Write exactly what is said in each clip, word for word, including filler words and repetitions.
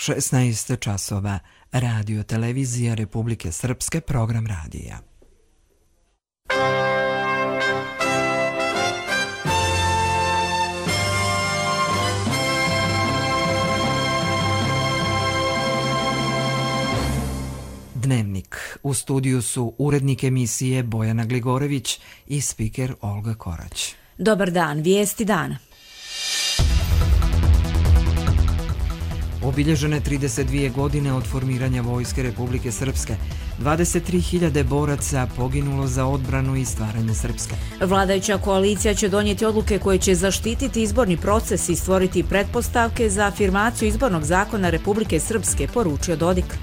šesnaest časova. Radio televizija Republike Srpske, program radija. Dnevnik. U studiju su urednik emisije Bojana Gligorević i spiker Olga Korać. Dobar dan, vijesti dana. Obilježene trideset dvije godine od formiranja Vojske Republike Srpske. dvadeset tri hiljade boraca poginulo za odbranu i stvaranje Srpske. Vladajuća koalicija će donijeti odluke koje će zaštititi izborni proces i stvoriti pretpostavke za afirmaciju izbornog zakona Republike Srpske, poručio Dodik.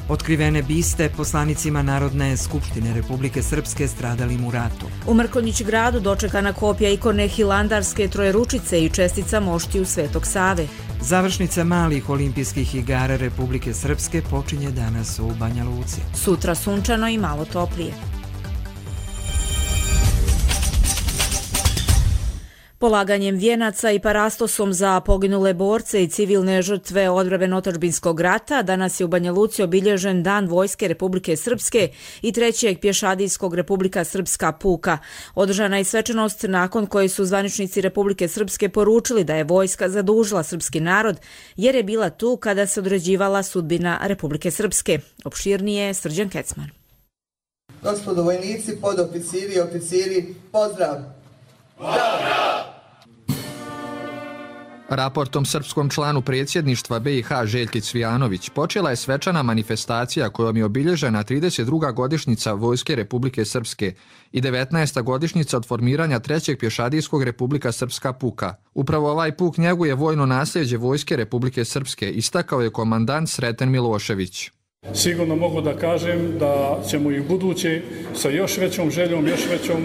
Otkrivene biste poslanicima Narodne skupštine Republike Srpske stradalim u ratu. U Mrkonjić gradu dočekana kopija ikone Hilandarske Trojeručice i čestica moštiju Svetog Save. Završnica malih olimpijskih igara Republike Srpske počinje danas u Banja Luci. Sutra sunčano i malo toplije. Polaganjem vijenaca i parastosom za poginule borce i civilne žrtve odbrambeno-otadžbinskog rata danas je u Banja Luci obilježen Dan Vojske Republike Srpske i trećeg pješadijskog Republika Srpska puka. Održana je svečanost nakon koje su zvaničnici Republike Srpske poručili da je vojska zadužila srpski narod jer je bila tu kada se određivala sudbina Republike Srpske. Opširnije Srđan Kecman. Gospodo vojnici, podoficiri i oficiri, pozdrav! Pozdrav! Raportom srpskom članu predsjedništva B i H Željki Cvijanović počela je svečana manifestacija kojom je obilježena trideset druga godišnjica Vojske Republike Srpske i devetnaesta godišnjica od formiranja trećeg pješadijskog Republika Srpska puka. Upravo ovaj puk njeguje vojno nasljeđe Vojske Republike Srpske, istakao je komandant Sreten Milošević. Sigurno mogu da kažem da ćemo i u buduće sa još većom željom, još većom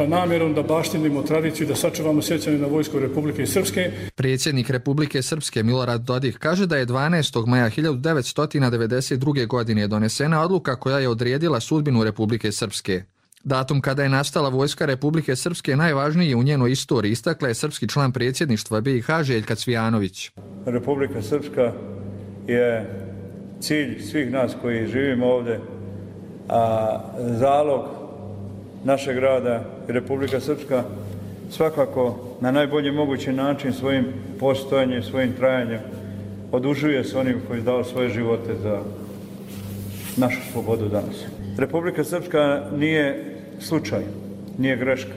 namjerom da baštinimo tradiciju i da sačuvamo sjećanje na Vojsku Republike Srpske. Predsjednik Republike Srpske Milorad Dodik kaže da je dvanaestog maja hiljadu devetsto devedeset druge. godine donesena odluka koja je odredila sudbinu Republike Srpske. Datum kada je nastala Vojska Republike Srpske najvažniji je u njenoj istoriji, istakla je srpski član predsjedništva B i H Željka Cvijanović. Republika Srpska je cilj svih nas koji živimo ovdje, a zalog našeg rada i Republika Srpska svakako na najbolji mogući način svojim postojanjem, svojim trajanjem odužuje s onim koji dao svoje živote za našu slobodu danas. Republika Srpska nije slučaj, nije greška.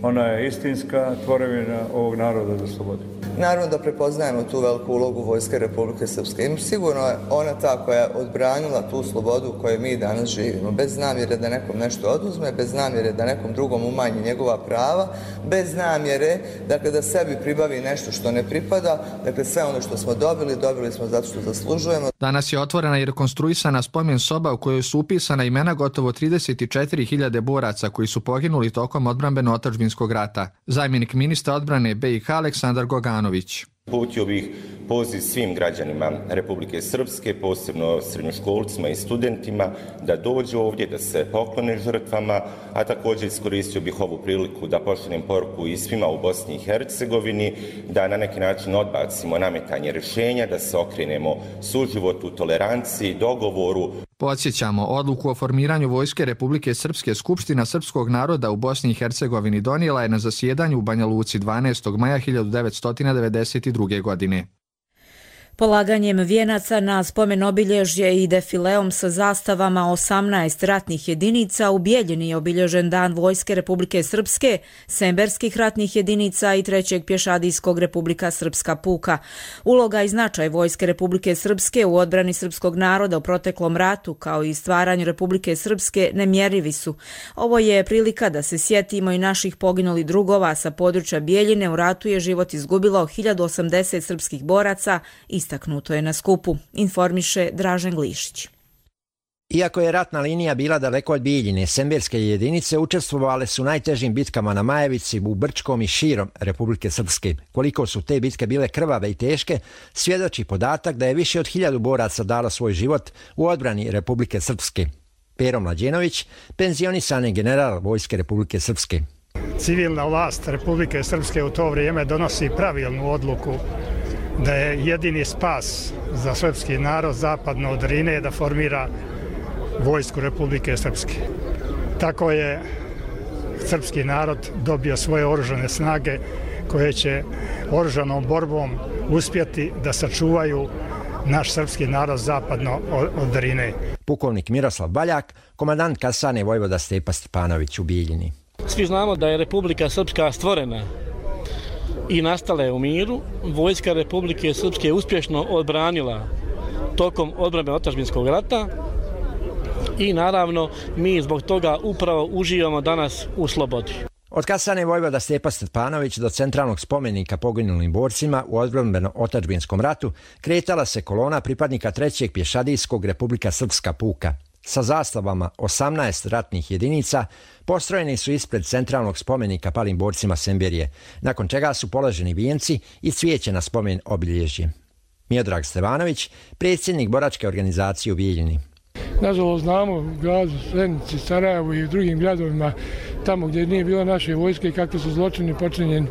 Ona je istinska tvorevina ovog naroda za slobodu. Naravno da prepoznajemo tu veliku ulogu Vojske Republike Srpske. I sigurno je ona ta koja je odbranila tu slobodu u kojoj mi danas živimo. Bez namjere da nekom nešto oduzme, bez namjere da nekom drugom umanji njegova prava, bez namjere dakle, da sebi pribavi nešto što ne pripada. Dakle, sve ono što smo dobili, dobili smo zato što zaslužujemo. Danas je otvorena i rekonstruisana spomen soba u kojoj su upisana imena gotovo trideset četiri hiljade boraca koji su poginuli tokom odbrambeno-otadžbinskog rata. Zamjenik ministra odbrane B i H Aleksandar Goganović. Uputio bih poziv svim građanima Republike Srpske, posebno srednjoškolcima i studentima, da dođu ovdje, da se poklone žrtvama, a također iskoristio bih ovu priliku da pošaljem poruku i svima u Bosni i Hercegovini, da na neki način odbacimo nametanje rješenja, da se okrenemo suživotu, toleranciji, dogovoru. Podsjećamo, odluku o formiranju Vojske Republike Srpske Skupština srpskog naroda u Bosni i Hercegovini donijela je na zasjedanju u Banja Luci dvanaestog maja hiljadu devetsto devedeset druge. godine. Polaganjem vijenaca na spomen obilježje i defileom sa zastavama osamnaest ratnih jedinica u Bijeljini je obilježen Dan Vojske Republike Srpske, semberskih ratnih jedinica i trećeg pješadijskog Republika Srpska puka. Uloga i značaj Vojske Republike Srpske u odbrani srpskog naroda u proteklom ratu kao i stvaranju Republike Srpske nemjerivi su. Ovo je prilika da se sjetimo i naših poginulih drugova sa područja Bijeljine. U ratu je život izgubilo hiljadu osamdeset srpskih boraca, istaknuto je na skupu, informiše Dražen Glišić. Iako je ratna linija bila daleko od Bijeljine, semberske jedinice učestvovale su u najtežim bitkama na Majevici, u Brčkom i širom Republike Srpske. Koliko su te bitke bile krvave i teške, svjedoči podatak da je više od hiljadu boraca dalo svoj život u odbrani Republike Srpske. Pero Mlađenović, penzionisani general Vojske Republike Srpske. Civilna vlast Republike Srpske u to vrijeme donosi pravilnu odluku da je jedini spas za srpski narod zapadno od Drine da formira vojsku Republike Srpske. Tako je srpski narod dobio svoje oružane snage koje će oružanom borbom uspjeti da sačuvaju naš srpski narod zapadno od Drine. Pukovnik Miroslav Baljak, komandant kasarne vojvoda Stepa Stepanović u Bijeljini. Svi znamo da je Republika Srpska stvorena i nastala je u miru. Vojska Republike Srpske je uspješno odbranila tokom odbrane otadžbinskog rata i naravno mi zbog toga upravo uživamo danas u slobodi. Od kasarne vojvoda Stepa Stepanović do centralnog spomenika poginulim borcima u odbrambeno-otadžbinskom ratu kretala se kolona pripadnika trećeg pješadijskog Republika Srpska puka. Sa zastavama osamnaest ratnih jedinica postrojeni su ispred centralnog spomenika palim borcima Semberije, nakon čega su položeni vijenci i cvijeće na spomen obilježje. Miodrag Stevanović, predsjednik boračke organizacije u Bijeljini. Nažalost znamo u gradu Zenici, Sarajevu i u drugim gradovima tamo gdje nije bilo naše vojske kakvi su zločini počinjeni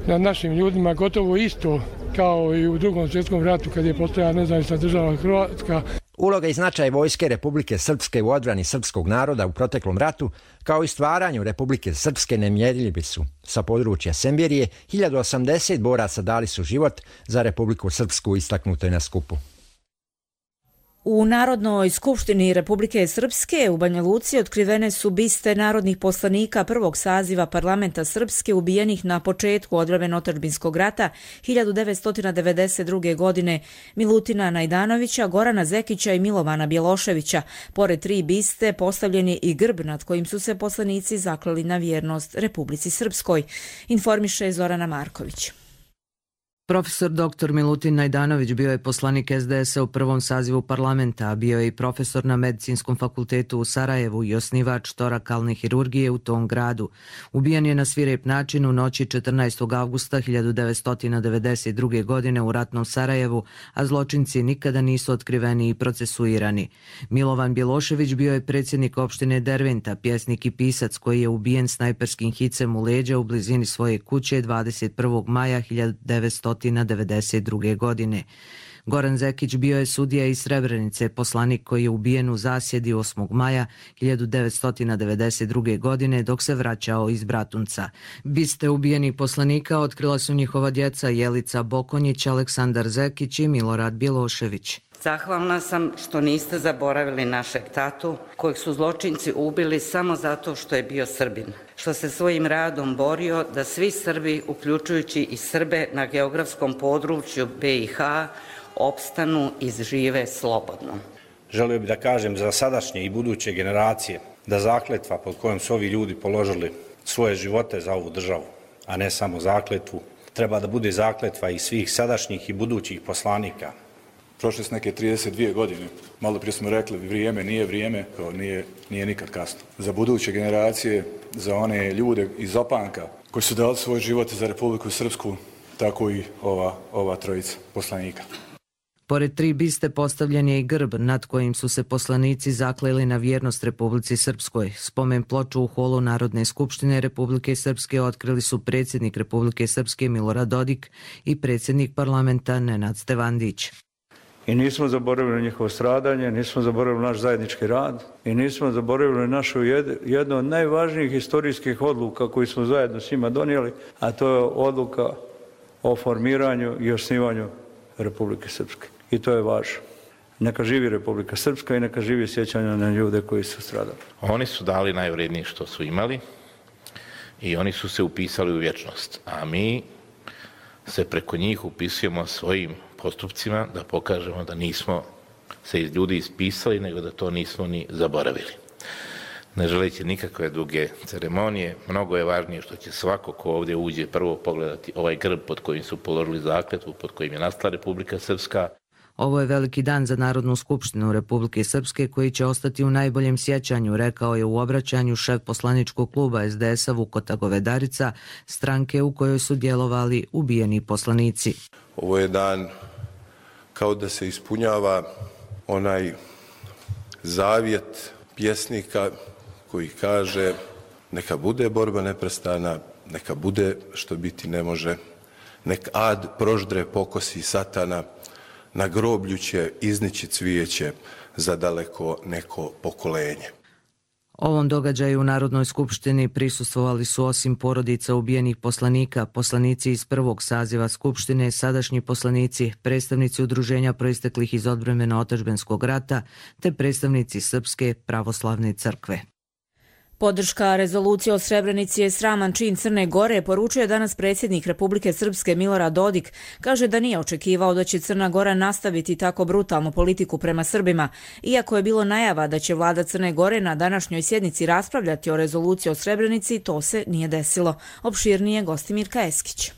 nad našim ljudima, gotovo isto kao i u drugom svjetskom ratu kad je postojala nezavisna država Hrvatska. Uloga i značaj vojske Republike Srpske u odbrani srpskog naroda u proteklom ratu, kao i stvaranju Republike Srpske nemjerljivi su. Sa područja Semberije hiljadu osamdeset boraca dali su život za Republiku Srpsku, istaknuto je na skupu. U Narodnoj skupštini Republike Srpske u Banja Luci otkrivene su biste narodnih poslanika prvog saziva parlamenta Srpske ubijenih na početku odbrambeno-otadžbinskog rata hiljadu devetsto devedeset druge. godine Milutina Najdanovića, Gorana Zekića i Milovana Bjeloševića. Pored tri biste postavljen je i grb nad kojim su se poslanici zakleli na vjernost Republici Srpskoj, informiše Zorana Marković. Profesor doktor Milutin Najdanović bio je poslanik es de esa u prvom sazivu parlamenta, a bio je i profesor na Medicinskom fakultetu u Sarajevu i osnivač torakalne hirurgije u tom gradu. Ubijen je na svirep način u noći četrnaestog avgusta hiljadu devetsto devedeset druge. godine u ratnom Sarajevu, a zločinci nikada nisu otkriveni i procesuirani. Milovan Bjelošević bio je predsjednik opštine Derventa, pjesnik i pisac koji je ubijen snajperskim hicem u leđa u blizini svoje kuće dvadeset prvog maja hiljadu devetsto devedeset druge. godine. Goran Zekić bio je sudija iz Srebrenice, poslanik koji je ubijen u zasjedi osmog maja hiljadu devetsto devedeset druge. godine dok se vraćao iz Bratunca. Biste ubijenih poslanika otkrila su njihova djeca Jelica Bokonjić, Aleksandar Zekić i Milorad Bjelošević. Zahvalna sam što niste zaboravili našeg tatu, kojeg su zločinci ubili samo zato što je bio Srbin, što se svojim radom borio da svi Srbi, uključujući i Srbe na geografskom području be i ha, opstanu i žive slobodno. Želio bih da kažem za sadašnje i buduće generacije da zakletva pod kojom su ovi ljudi položili svoje živote za ovu državu, a ne samo zakletvu, treba da bude zakletva i svih sadašnjih i budućih poslanika. Prošle su neke trideset dvije godine. Malo prije smo rekli vrijeme nije vrijeme, kao nije, nije nikad kasno. Za buduće generacije, za one ljude iz opanka koji su dali svoj život za Republiku Srpsku, tako i ova, ova trojica poslanika. Pored tri biste postavljen je i grb nad kojim su se poslanici zakleli na vjernost Republici Srpskoj. Spomen ploču u holu Narodne skupštine Republike Srpske otkrili su predsjednik Republike Srpske Milorad Dodik i predsjednik parlamenta Nenad Stevandić. I nismo zaboravili njihovo stradanje, nismo zaboravili naš zajednički rad i nismo zaboravili našu jednu od najvažnijih historijskih odluka koju smo zajedno s njima donijeli, a to je odluka o formiranju i osnivanju Republike Srpske. I to je važno. Neka živi Republika Srpska i neka živi sjećanja na ljude koji su stradali. Oni su dali najvrednije što su imali i oni su se upisali u vječnost, a mi se preko njih upisujemo svojim postupcima da pokažemo da nismo se iz ljudi ispisali, nego da to nismo ni zaboravili. Ne želeći nikakve duge ceremonije, mnogo je važnije što će svako ko ovdje uđe prvo pogledati ovaj grb pod kojim su položili zakletvu, pod kojim je nastala Republika Srpska. Ovo je veliki dan za Narodnu skupštinu Republike Srpske koji će ostati u najboljem sjećanju, rekao je u obraćanju šef poslaničkog kluba es de esa Vukota Govedarica, stranke u kojoj su djelovali ubijeni poslanici. Ovo je dan kao da se ispunjava onaj zavjet pjesnika koji kaže neka bude borba neprestana, neka bude što biti ne može, nek ad proždre pokosi satana, na groblju će iznići cvijeće za daleko neko pokolenje. Ovom događaju u Narodnoj skupštini prisustvovali su osim porodica ubijenih poslanika, poslanici iz prvog saziva Skupštine, sadašnji poslanici, predstavnici udruženja proisteklih iz odbrambeno-otadžbinskog rata, te predstavnici Srpske pravoslavne crkve. Podrška rezolucije o Srebrenici je sraman čin Crne Gore, poručuje danas predsjednik Republike Srpske Milorad Dodik. Kaže da nije očekivao da će Crna Gora nastaviti tako brutalnu politiku prema Srbima. Iako je bilo najava da će vlada Crne Gore na današnjoj sjednici raspravljati o rezoluciji o Srebrenici, to se nije desilo. Opširnije Gostimirka Eskić.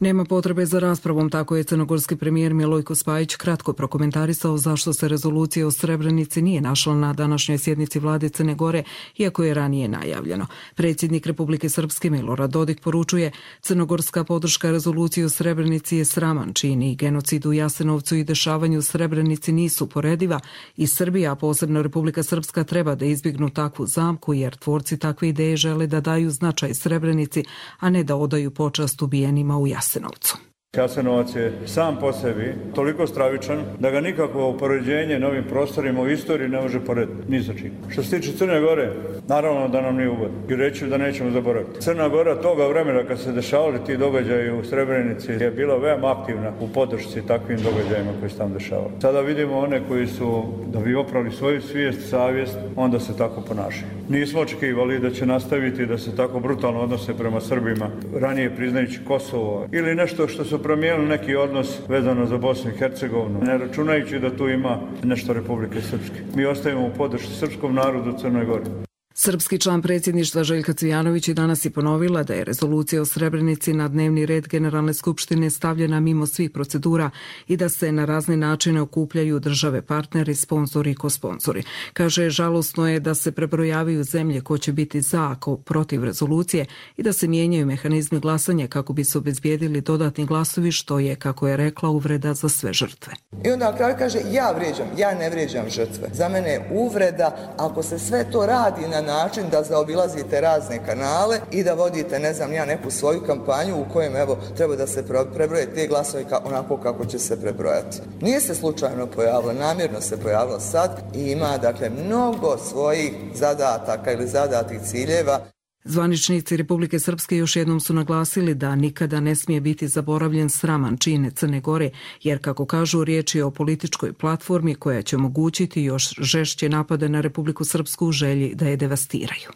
Nema potrebe za raspravom, tako je crnogorski premijer Milojko Spajić kratko prokomentarisao zašto se rezolucija o Srebrenici nije našla na današnjoj sjednici vlade Crne Gore, iako je ranije najavljeno. Predsjednik Republike Srpske Milorad Dodik poručuje: crnogorska podrška rezoluciji o Srebrenici je sraman čin i genocid u Jasenovcu i dešavanju u Srebrenici nisu porediva i Srbija, a posebno Republika Srpska, treba da izbjegnu takvu zamku, jer tvorci takve ideje žele da daju značaj Srebrenici, a ne da odaju počast ubijenima u Jasenovcu. Jasenovac je sam po sebi toliko stravičan da ga nikakvo poređenje na ovim prostorima u istoriji ne može porediti, ni sa čim. Što se tiče Crne Gore, naravno da nam nije ugodno i reći da nećemo zaboraviti. Crna Gora toga vremena kad se dešavali ti događaji u Srebrenici je bila veoma aktivna u podršci takvim događajima koji se tam dešavali. Sada vidimo one koji su, da bi opravili svoju svijest, savjest, onda se tako ponašaju. Nismo očekivali da će nastaviti da se tako brutalno odnose prema Srbima, ranije priznajući Kosovo ili nešto što su promijenili neki odnos vezano za Bosnu i Hercegovinu, ne računajući da tu ima nešto Republike Srpske. Mi ostajemo u podršci srpskom narodu u Crnoj Gori. Srpski član predsjedništva Željka Cvijanović i danas je ponovila da je rezolucija o Srebrenici na dnevni red Generalne skupštine stavljena mimo svih procedura i da se na razne načine okupljaju države partneri, sponzori i kosponzori. Kaže, žalosno je da se prebrojavaju zemlje ko će biti za, ako protiv rezolucije i da se mijenjaju mehanizmi glasanja kako bi se obezbijedili dodatni glasovi, što je, kako je rekla, uvreda za sve žrtve. I onda na kraju kaže, ja vrijeđam, ja ne vrijeđam žrtve. Za mene je uvreda ako se sve to radi na način da zaobilazite razne kanale i da vodite, ne znam, ja neku svoju kampanju u kojem, evo, treba da se prebroje te glasovi onako kako će se prebrojati. Nije se slučajno pojavilo, namjerno se pojavilo sad i ima, dakle, mnogo svojih zadataka ili zadatih ciljeva. Zvaničnici Republike Srpske još jednom su naglasili da nikada ne smije biti zaboravljen sraman čin Crne Gore, jer, kako kažu, riječ je o političkoj platformi koja će omogućiti još žešće napade na Republiku Srpsku u želji da je devastiraju.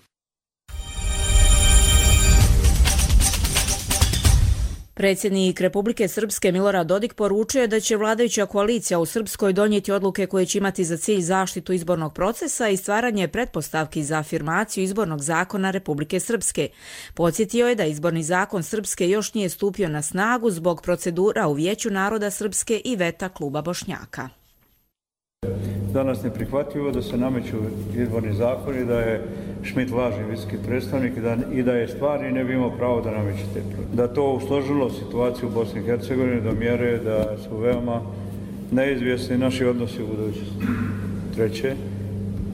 Predsjednik Republike Srpske Milorad Dodik poručuje da će vladajuća koalicija u Srpskoj donijeti odluke koje će imati za cilj zaštitu izbornog procesa i stvaranje pretpostavki za afirmaciju izbornog zakona Republike Srpske. Podsjetio je da izborni zakon Srpske još nije stupio na snagu zbog procedura u Vijeću naroda Srpske i veta kluba Bošnjaka. Danas ne prihvatljivo da se nameću izborni zakoni, da je Šmit lažni visoki predstavnik i da, i da je stvarni ne bi imao pravo da nameće te. Da to usložilo situaciju u Bosni i Hercegovini do mjere da su veoma neizvjesni naši odnosi u budućnosti. Treće,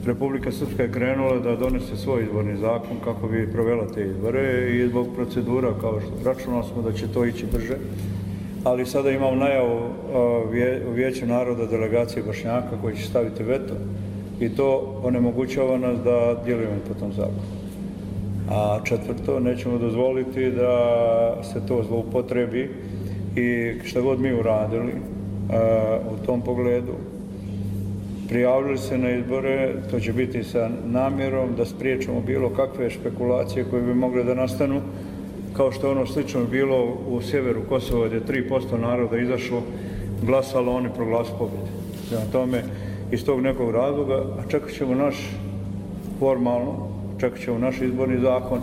Republika Srpska je krenula da donese svoj izborni zakon kako bi provela te izbore i zbog procedura, kao što računali smo da će to ići brže. Ali sada imamo najavu u Vijeću naroda delegacije Bošnjaka koji će staviti veto i to onemogućava nas da djelujemo po tom zakonu. A četvrto, nećemo dozvoliti da se to zloupotrebi i šta god mi uradili u tom pogledu. Prijavili se na izbore, to će biti sa namjerom da spriječimo bilo kakve špekulacije koje bi mogle da nastanu, kao što je ono slično bilo u sjeveru Kosova gdje je tri posto naroda izašlo, glasalo, oni proglasili pobjedu. Prema tome, iz tog nekog razloga, a čekat ćemo naš formalno, čekat ćemo naš izborni zakon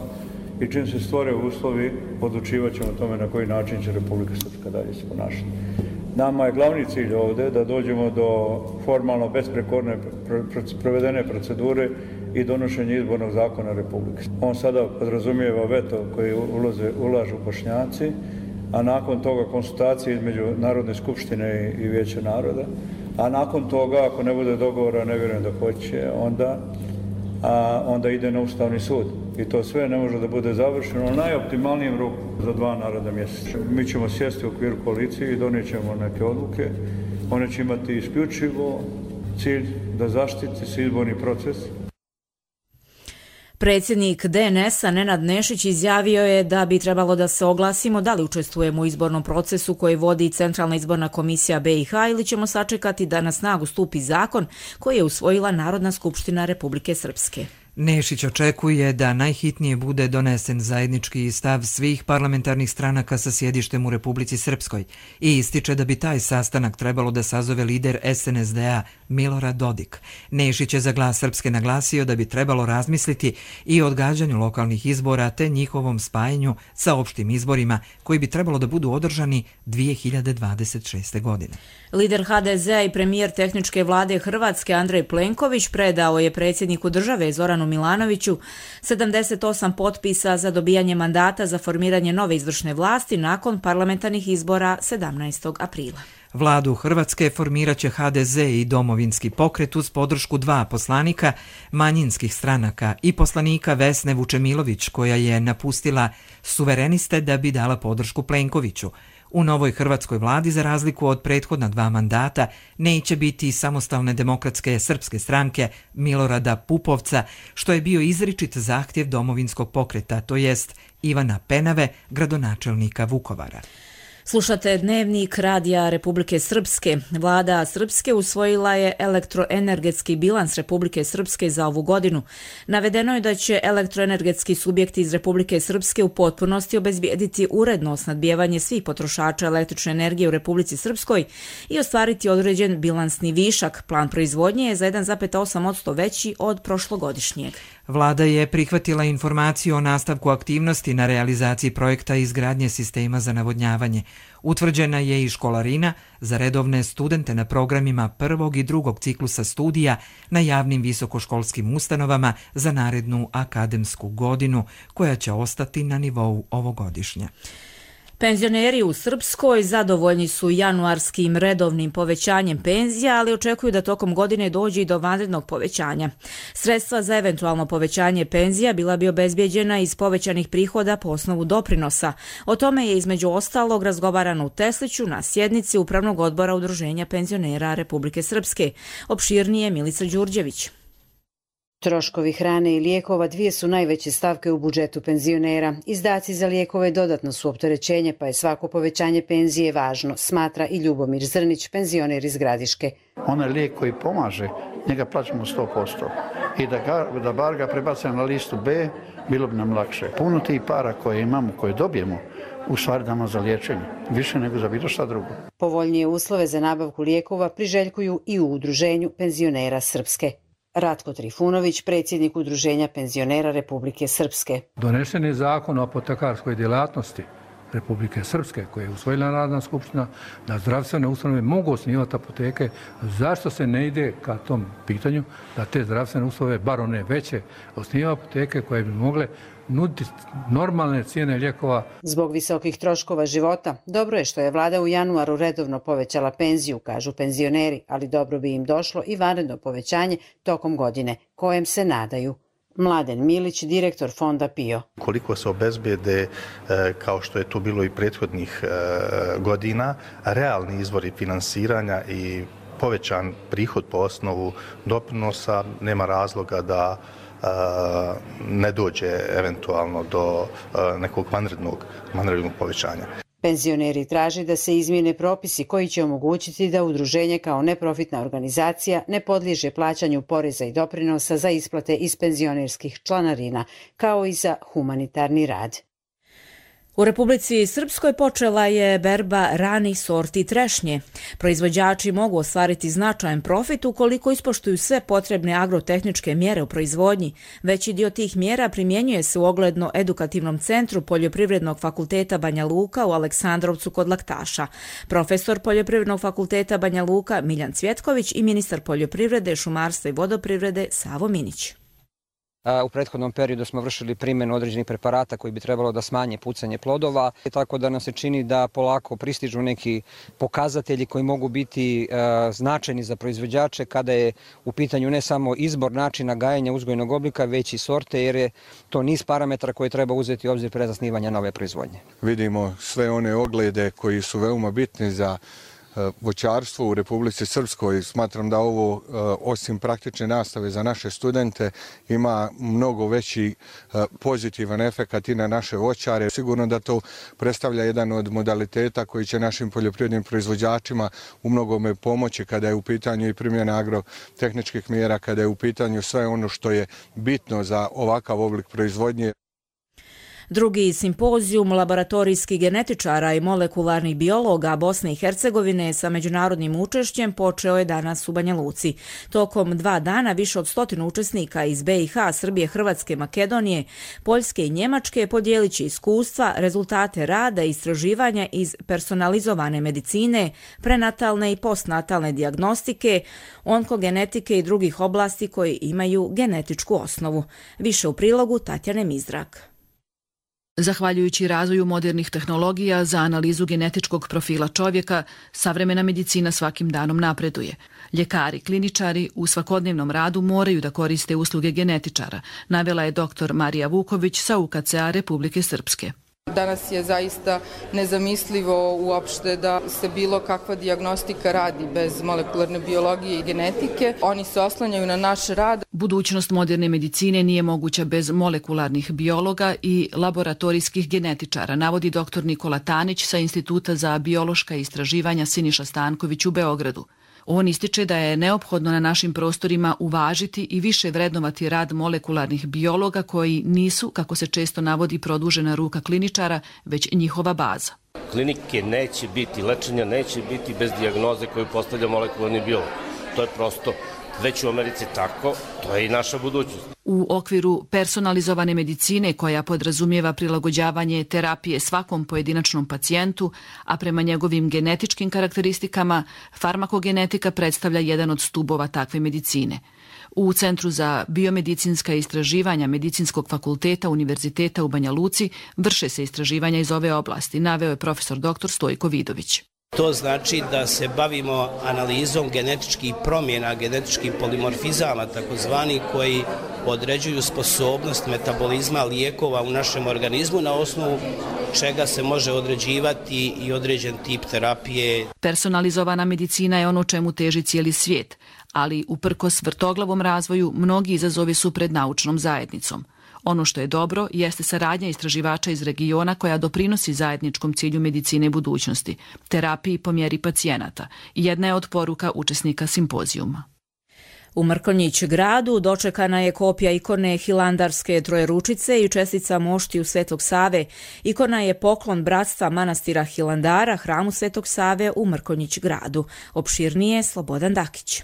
i čim se stvore uslovi, odlučivat ćemo o tome na koji način će Republika Srpska dalje se ponašati. Nama je glavni cilj ovdje da dođemo do formalno besprekorne provedene procedure i donošenje izbornog zakona Republike. On sada podrazumijeva veto koji ulaze, ulažu Bošnjaci, a nakon toga konsultacije između Narodne skupštine i Vijeća naroda, a nakon toga, ako ne bude dogovora, ne vjerujem da hoće, onda, a, onda ide na Ustavni sud. i to sve ne može da bude završeno u najoptimalnijem roku za dva naredna mjeseca. Mi ćemo sjesti u okviru koalicije i donijet ćemo neke odluke. One će imati isključivo cilj da zaštiti se izborni proces. Predsjednik D N S-a Nenad Nešić izjavio je da bi trebalo da se oglasimo da li učestvujemo u izbornom procesu koji vodi Centralna izborna komisija B i H ili ćemo sačekati da na snagu stupi zakon koji je usvojila Narodna skupština Republike Srpske. Nešić očekuje da najhitnije bude donesen zajednički stav svih parlamentarnih stranaka sa sjedištem u Republici Srpskoj i ističe da bi taj sastanak trebalo da sazove lider S N S D-a Milorad Dodik. Nešić je za Glas Srpske naglasio da bi trebalo razmisliti i o odgađanju lokalnih izbora te njihovom spajanju sa opštim izborima koji bi trebalo da budu održani dvije hiljade dvadeset šeste. godine. Lider H D Z-a i premijer tehničke vlade Hrvatske Andrej Plenković predao je predsjedniku države Zoranu Milanoviću sedamdeset osam potpisa za dobijanje mandata za formiranje nove izvršne vlasti nakon parlamentarnih izbora sedamnaestog aprila. Vladu Hrvatske formirat će H D Z i Domovinski pokret uz podršku dva poslanika manjinskih stranaka i poslanika Vesne Vučemilović koja je napustila Suvereniste da bi dala podršku Plenkoviću. U novoj hrvatskoj vladi, za razliku od prethodna dva mandata, neće biti samostalne demokratske srpske stranke Milorada Pupovca, što je bio izričit zahtjev Domovinskog pokreta, to jest Ivana Penave, gradonačelnika Vukovara. Slušate Dnevnik Radija Republike Srpske. Vlada Srpske usvojila je elektroenergetski bilans Republike Srpske za ovu godinu. Navedeno je da će elektroenergetski subjekti iz Republike Srpske u potpunosti obezbijediti uredno snabdijevanje svih potrošača električne energije u Republici Srpskoj i ostvariti određen bilansni višak. Plan proizvodnje je za jedan zarez osam posto veći od prošlogodišnjeg. Vlada je prihvatila informaciju o nastavku aktivnosti na realizaciji projekta izgradnje sistema za navodnjavanje. Utvrđena je i školarina za redovne studente na programima prvog i drugog ciklusa studija na javnim visokoškolskim ustanovama za narednu akademsku godinu, koja će ostati na nivou ovogodišnja. Penzioneri u Srpskoj zadovoljni su januarskim redovnim povećanjem penzija, ali očekuju da tokom godine dođe i do vanrednog povećanja. Sredstva za eventualno povećanje penzija bila bi obezbijeđena iz povećanih prihoda po osnovu doprinosa. O tome je između ostalog razgovarano u Tesliću na sjednici Upravnog odbora Udruženja penzionera Republike Srpske. Opširnije Milica Đurđević. Troškovi hrane i lijekova dvije su najveće stavke u budžetu penzionera. Izdaci za lijekove dodatno su opterećenje, pa je svako povećanje penzije važno, smatra i Ljubomir Zrnić, penzioner iz Gradiške. Onaj lijek koji pomaže, njega plaćamo sto posto. I da, ga, da bar ga prebacimo na listu B, bilo bi nam lakše. Puno tih para koje imamo, koje dobijemo, u stvari damo za liječenje, više nego za bilo šta drugo. Povoljnije uslove za nabavku lijekova priželjkuju i u Udruženju penzionera Srpske. Ratko Trifunović, predsjednik Udruženja penzionera Republike Srpske. Donesen je zakon o apotekarskoj djelatnosti Republike Srpske, koje je usvojila Narodna skupština, da zdravstvene ustanove mogu osnivati apoteke. Zašto se ne ide ka tom pitanju da te zdravstvene ustanove, bar one veće, osnivaju apoteke koje bi mogle nuditi normalne cijene lijekova? Zbog visokih troškova života, dobro je što je vlada u januaru redovno povećala penziju, kažu penzioneri, ali dobro bi im došlo i vanredno povećanje tokom godine, kojem se nadaju. Mladen Milić, direktor fonda P I O. Koliko se obezbijede, kao što je to bilo i prethodnih godina, realni izvori finansiranja i povećan prihod po osnovu doprinosa, nema razloga da ne dođe eventualno do nekog vanrednog, vanrednog povećanja. Penzioneri traži da se izmijene propisi koji će omogućiti da udruženje kao neprofitna organizacija ne podliježe plaćanju poreza i doprinosa za isplate iz penzionerskih članarina, kao i za humanitarni rad. U Republici Srpskoj počela je berba ranih sorti trešnje. Proizvođači mogu ostvariti značajan profit ukoliko ispoštuju sve potrebne agrotehničke mjere u proizvodnji. Veći dio tih mjera primjenjuje se u ogledno edukativnom centru Poljoprivrednog fakulteta Banja Luka u Aleksandrovcu kod Laktaša. Profesor Poljoprivrednog fakulteta Banja Luka Miljan Cvjetković i ministar poljoprivrede, šumarstva i vodoprivrede Savo Minić. U prethodnom periodu smo vršili primjenu određenih preparata koji bi trebalo da smanje pucanje plodova, tako da nam se čini da polako pristižu neki pokazatelji koji mogu biti značajni za proizvođače kada je u pitanju ne samo izbor načina gajenja uzgojnog oblika, već i sorte, jer je to niz parametara koje treba uzeti u obzir pre zasnivanja nove proizvodnje. Vidimo sve one oglede koji su veoma bitni za voćarstvo u Republici Srpskoj. Smatram da ovo, osim praktične nastave za naše studente, ima mnogo veći pozitivan efekat i na naše voćare. Sigurno da to predstavlja jedan od modaliteta koji će našim poljoprivrednim proizvođačima u mnogome pomoći kada je u pitanju i primjena agrotehničkih mjera, kada je u pitanju sve ono što je bitno za ovakav oblik proizvodnje. Drugi simpozijum laboratorijskih genetičara i molekularnih biologa Bosne i Hercegovine sa međunarodnim učešćem počeo je danas u Banja Luci. Tokom dva dana više od stotinu učesnika iz B i H, Srbije, Hrvatske, Makedonije, Poljske i Njemačke podijelit će iskustva, rezultate rada i istraživanja iz personalizovane medicine, prenatalne i postnatalne dijagnostike, onkogenetike i drugih oblasti koji imaju genetičku osnovu. Više u prilogu Tatjane Mizrak. Zahvaljujući razvoju modernih tehnologija za analizu genetičkog profila čovjeka, savremena medicina svakim danom napreduje. Ljekari, kliničari u svakodnevnom radu moraju da koriste usluge genetičara, navela je doktor Marija Vuković sa U K C A Republike Srpske. Danas je zaista nezamislivo uopšte da se bilo kakva dijagnostika radi bez molekularne biologije i genetike. Oni se oslanjaju na naš rad. Budućnost moderne medicine nije moguća bez molekularnih biologa i laboratorijskih genetičara, navodi doktor Nikola Tanić sa Instituta za biološka istraživanja Siniša Stanković u Beogradu. On ističe da je neophodno na našim prostorima uvažiti i više vrednovati rad molekularnih biologa koji nisu, kako se često navodi, produžena ruka kliničara, već njihova baza. Klinike neće biti, lečenja neće biti bez dijagnoze koju postavlja molekularni biolog. To je prosto već u Americi tako, to je i naša budućnost. U okviru personalizovane medicine koja podrazumijeva prilagođavanje terapije svakom pojedinačnom pacijentu, a prema njegovim genetičkim karakteristikama, farmakogenetika predstavlja jedan od stubova takve medicine. U Centru za biomedicinska istraživanja Medicinskog fakulteta Univerziteta u Banja Luci vrše se istraživanja iz ove oblasti, naveo je profesor doktor Stojko Vidović. To znači da se bavimo analizom genetičkih promjena, genetičkih polimorfizama, takozvani, koji određuju sposobnost metabolizma lijekova u našem organizmu, na osnovu čega se može određivati i određen tip terapije. Personalizovana medicina je ono čemu teži cijeli svijet, ali uprkos vrtoglavom razvoju mnogi izazovi su pred naučnom zajednicom. Ono što je dobro jeste saradnja istraživača iz regiona koja doprinosi zajedničkom cilju medicine budućnosti, terapiji po mjeri pacijenata. Jedna je od poruka učesnika simpozijuma. U Mrkonjić gradu dočekana je kopija ikone Hilandarske Trojeručice i čestica moštiju Svetog Save. Ikona je poklon bratstva manastira Hilandara, hramu Svetog Save u Mrkonjić gradu. Opširnije Slobodan Dakić.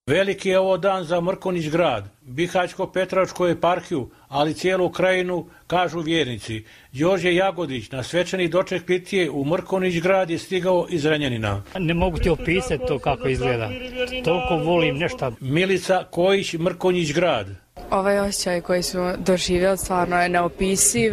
Veliki je ovo dan za Mrkonjić grad, Bihaćko-Petrovačku eparhiju, ali cijelu krajinu, kažu vjernici. Đorđe Jagodić na svečani doček pitije u Mrkonjić grad je stigao iz Renjanina. Ne mogu ti opisati to kako izgleda. Toliko volim nešto. Milica Kojić, Mrkonjić grad. Ovaj osjećaj koji smo doživjeli stvarno je neopisiv.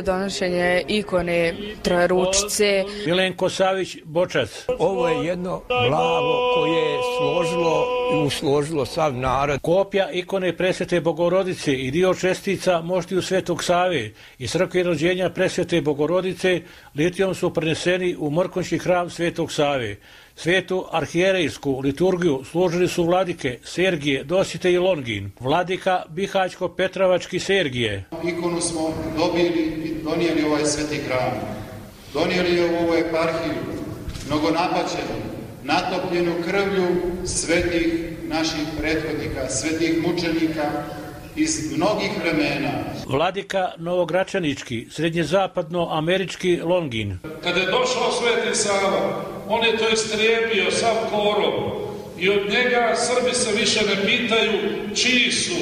Donošenje ikone Trojeručice. Milenko Savić, Bočac. Ovo je jedno blago koje je složilo i usložilo sav narod. Kopija ikone Presvete Bogorodice i dio čestica moštiju Svetog Save i crkve rođenja Presvete Bogorodice litijom su preneseni u Mrkonjićki hram Svetog Save. Svetu arhijerejsku liturgiju služili su vladike Sergije, Dosite i Longin, vladika Bihaćko-Petrovački Sergije. Ikonu smo dobili i donijeli ovaj sveti hram. Donijeli je u ovu eparhiju, mnogo napaćenu, natopljenu krvlju svetih naših prethodnika, svetih mučenika iz mnogih vremena. Vladika Novogračanički, srednjezapadno-američki Longin. Kada je došao Sveti Sava, on je to istrijebio sav korov i od njega Srbi se više ne pitaju čiji su,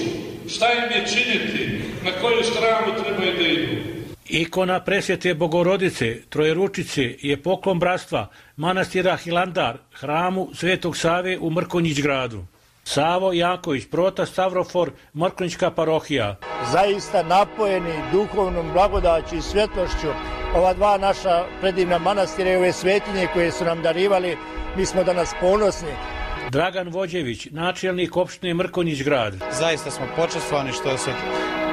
šta im je činiti, na koju stranu trebaju da idu. Ikona Presvete Bogorodice, Trojeručice je poklon bratstva manastira Hilandar, hramu Svetog Save u Mrkonjić gradu. Savo Janković, Prota Stavrofor, Mrkonjićka parohija. Zaista napojeni duhovnom blagodaću i svjetlošću ova dva naša predivna manastira i ove svetinje koje su nam darivali, mi smo danas ponosni. Dragan Vođević, načelnik opštine Mrkonjić grad. Zaista smo počastvovani što se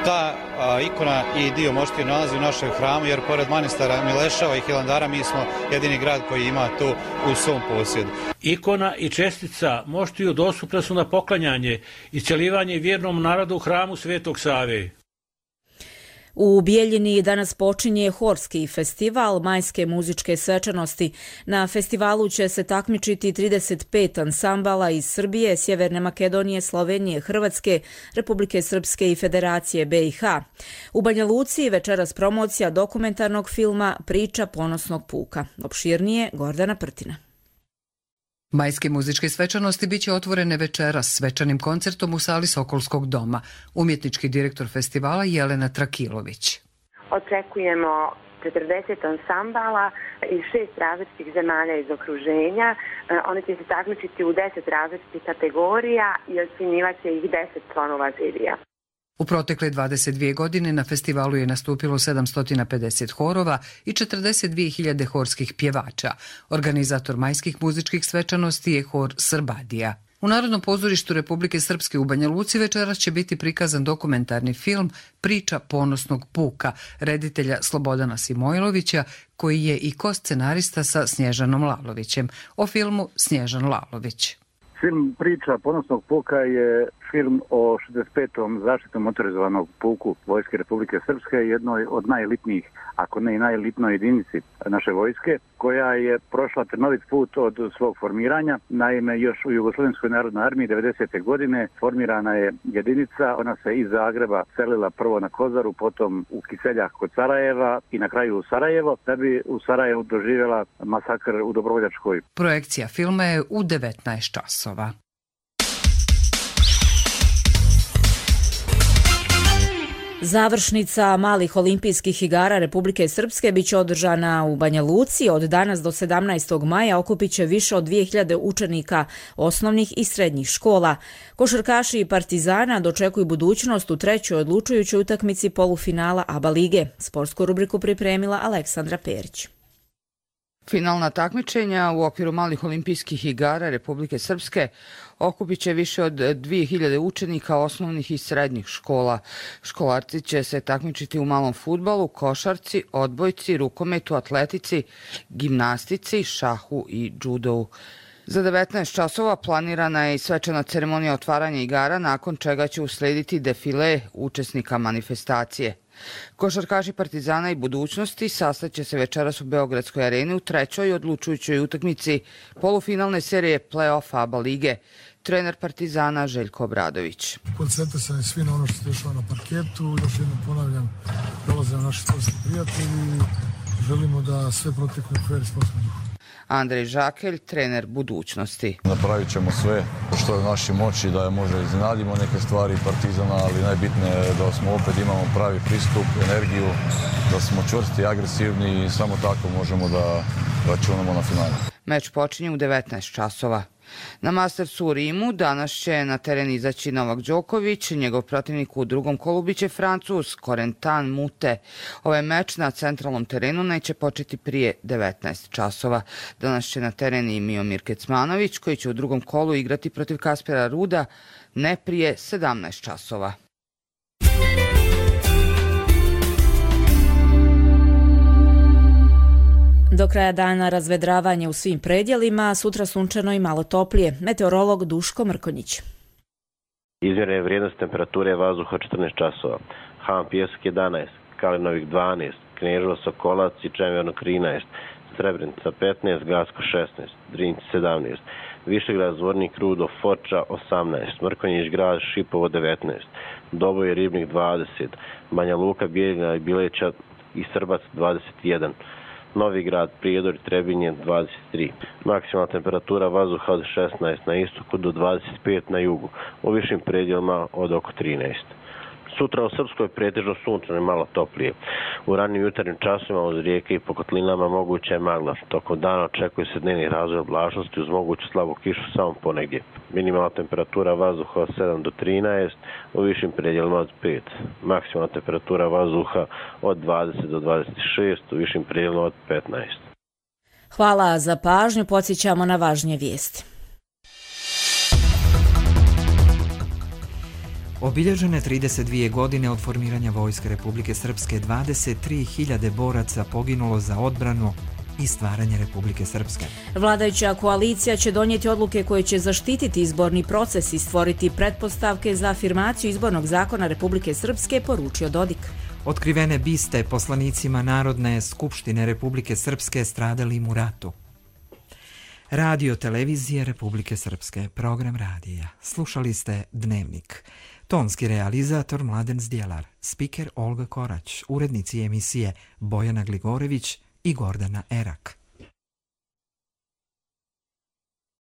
ta a, ikona i dio moštije nalazi u našem hramu, jer pored manastira Mileševa i Hilandara mi smo jedini grad koji ima tu u svom posjedu. Ikona i čestica moštiju dostupne su na poklanjanje i isceljivanje vjernom narodu u hramu Svetog Save. U Bijeljini danas počinje Horski festival majske muzičke svečanosti. Na festivalu će se takmičiti trideset pet ansambala iz Srbije, Sjeverne Makedonije, Slovenije, Hrvatske, Republike Srpske i Federacije B i H. U Banja Luci večeras promocija dokumentarnog filma Priča ponosnog puka. Opširnije Gordana Prtina. Majske muzičke svečanosti biće otvorene večeras svečanim koncertom u sali Sokolskog doma. Umjetnički direktor festivala Jelena Trakilović. Očekujemo četrdeset ansambala iz šest različitih zemalja iz okruženja. Oni će se takmičiti u deset različitih kategorija i ocjenjivat će ih deset članova žirija. U protekle dvadeset dvije godine na festivalu je nastupilo sedamsto pedeset horova i četrdeset dvije hiljade horskih pjevača. Organizator majskih muzičkih svečanosti je hor Srbadija. U Narodnom pozorištu Republike Srpske u Banja Luci večeras će biti prikazan dokumentarni film Priča ponosnog puka reditelja Slobodana Simojlovića, koji je i ko-scenarista sa Snježanom Lalovićem. O filmu Snježan Lalović. Film Priča ponosnog puka je film o šezdeset petom zaštitnom motorizovanog puku Vojske Republike Srpske, jednoj od najelitnijih, ako ne i najelitnoj jedinici naše vojske, koja je prošla trnovit put od svog formiranja. Naime, još u Jugoslovenskoj narodnoj armiji devedesete godine formirana je jedinica, ona se iz Zagreba selila prvo na Kozaru, potom u Kiseljak kod Sarajeva i na kraju u Sarajevo, da bi u Sarajevu doživjela masakr u Dobrovoljačkoj. Projekcija filma je u devetnaest časova. Završnica malih olimpijskih igara Republike Srpske biće održana u Banja Luci. Od danas do sedamnaestog maja okupit će više od dvije hiljade učenika osnovnih i srednjih škola. Košarkaši i Partizana dočekuju budućnost u trećoj odlučujućoj utakmici polufinala A B A lige. Sportsku rubriku pripremila Aleksandra Perić. Finalna takmičenja u okviru malih olimpijskih igara Republike Srpske okupit će više od dvije hiljade učenika osnovnih i srednjih škola. Školarci će se takmičiti u malom fudbalu, košarci, odbojci, rukometu, atletici, gimnastici, šahu i džudovu. Za devetnaest časova planirana je i svečana ceremonija otvaranja igara, nakon čega će uslediti defile učesnika manifestacije. Košarkaši Partizana i budućnosti sastaće se večeras u Beogradskoj areni u trećoj odlučujućoj utakmici polufinalne serije play-offa A B A lige. Trener Partizana Željko Obradović. Koncentrisani svi na ono što se dešava na parketu. Još jednom ponavljam, dolaze naši sportski prijatelji i želimo da sve protekne u fer sportskom duhu. Andrej Žakelj, trener budućnosti. Napravit ćemo sve što je u našoj moći da je možda iznenadimo neke stvari Partizana, ali najbitnije je da smo opet imamo pravi pristup, energiju, da smo čvrsti i agresivni i samo tako možemo da računamo na finale. Meč počinje u devetnaest časova. Na Mastersu u Rimu danas će na teren izaći Novak Đoković, njegov protivnik u drugom kolu biće Francuz Corentin Moutet. Ovaj meč na centralnom terenu neće početi prije devetnaest časova. Danas će na teren i Miomir Kecmanović, koji će u drugom kolu igrati protiv Kaspera Ruda ne prije sedamnaest časova. Do kraja dana razvedravanje u svim predjelima, sutra sunčano i malo toplije. Meteorolog Duško Mrkonjić. Izmjerena je vrijednost temperature vazduha četrnaest časova. Han Pijesak jedanaest, Kalinovik dvanaest, Kneževo Sokolac i Čemerno trinaest, Srebrenica petnaest, Gacko šesnaest, Drinci sedamnaest, Višegrad Zvornik Rudo Foča osamnaest, Mrkonjić grad Šipovo devetnaest, Doboj Ribnik dvadeset, Banja Luka Bijeljina i Bileća i Srbac dvadeset jedan, Novi grad, Prijedor i Trebinje dvadeset tri. Maksimalna temperatura vazduha od šesnaest na istoku do dvadeset pet na jugu, u višim predjelima od oko trinaest. Sutra u Srpskoj pretežno sunčano i malo toplije. U ranim jutarnjim časovima uz rijeke i po kotlinama moguća je magla. Tokom dana očekuje se dnevni razvoj oblačnosti uz moguću slabu kišu samo ponegdje. Minimalna temperatura vazduha od sedam do trinaest, u višim predjelima od pet. Maksimalna temperatura vazduha od dvadeset do dvadeset šest, u višim predjelima od petnaest. Hvala za pažnju, podsjećamo na važnije vijesti. Obilježene trideset dvije godine od formiranja Vojske Republike Srpske, dvadeset tri hiljade boraca poginulo za odbranu i stvaranje Republike Srpske. Vladajuća koalicija će donijeti odluke koje će zaštititi izborni proces i stvoriti pretpostavke za afirmaciju izbornog zakona Republike Srpske, poručio Dodik. Otkrivene biste poslanicima Narodne skupštine Republike Srpske stradalim u ratu. Radio televizije Republike Srpske, program radija. Slušali ste Dnevnik. Tonski realizator Mladen Zdjelar, spiker Olga Korać, urednici emisije Bojana Gligorević i Gordana Erak.